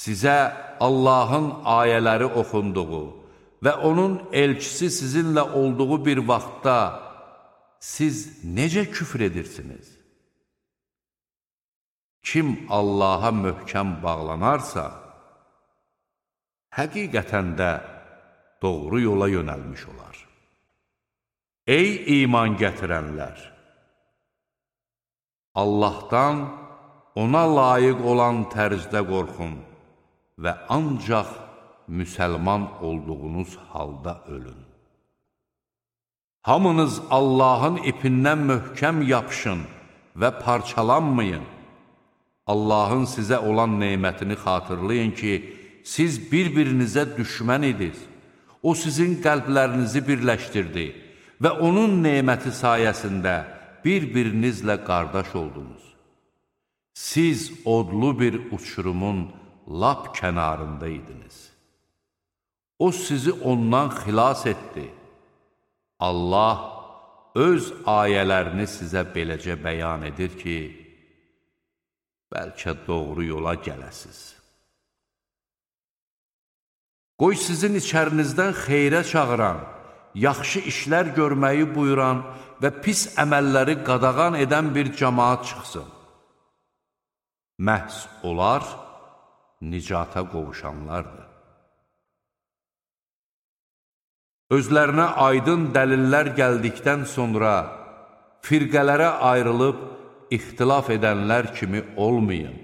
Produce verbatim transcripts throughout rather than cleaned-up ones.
Sizə Allahın ayələri oxunduğu və onun elçisi sizinlə olduğu bir vaxtda siz necə küfr edirsiniz? Kim Allaha möhkəm bağlanarsa, həqiqətən də doğru yola yönəlmiş olar. Ey iman gətirənlər! Allahdan ona layiq olan tərzdə qorxun və ancaq müsəlman olduğunuz halda ölün. Hamınız Allahın ipindən möhkəm yapışın və parçalanmayın. Allahın sizə olan neymətini xatırlayın ki, siz bir-birinizə düşmən idiniz. O sizin qəlblərinizi birləşdirdi və onun neyməti sayəsində bir-birinizlə qardaş oldunuz. Siz odlu bir uçurumun lap kənarında idiniz. O sizi ondan xilas etdi. Allah öz ayələrini sizə beləcə bəyan edir ki, bəlkə doğru yola gələsiz. Qoy sizin içərinizdən xeyrə çağıran, yaxşı işlər görməyi buyuran və pis əməlləri qadağan edən bir cəmaat çıxsın. Məhz onlar nicata qovuşanlardır. Özlərinə aydın dəlillər gəldikdən sonra firqələrə ayrılıb ixtilaf edənlər kimi olmayın.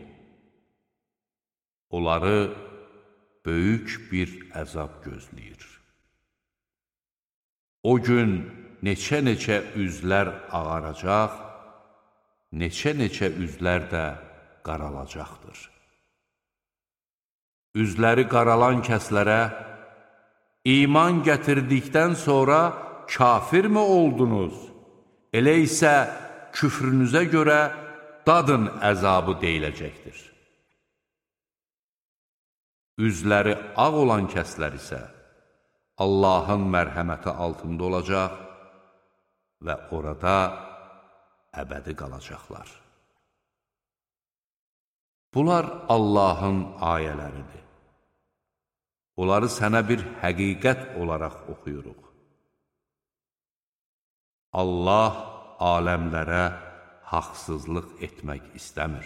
Onları böyük bir əzab gözləyir. O gün neçə-neçə üzlər ağaracaq, neçə-neçə üzlər də qaralacaqdır. Üzləri qaralan kəslərə, iman gətirdikdən sonra kafirmi oldunuz? Elə isə küfrünüzə görə dadın əzabı deyiləcəkdir. Üzləri ağ olan kəslər isə Allahın mərhəməti altında olacaq və orada əbədi qalacaqlar. Bunlar Allahın ayələridir. Onları sənə bir həqiqət olaraq oxuyuruq. Allah aləmlərə haqsızlıq etmək istəmir.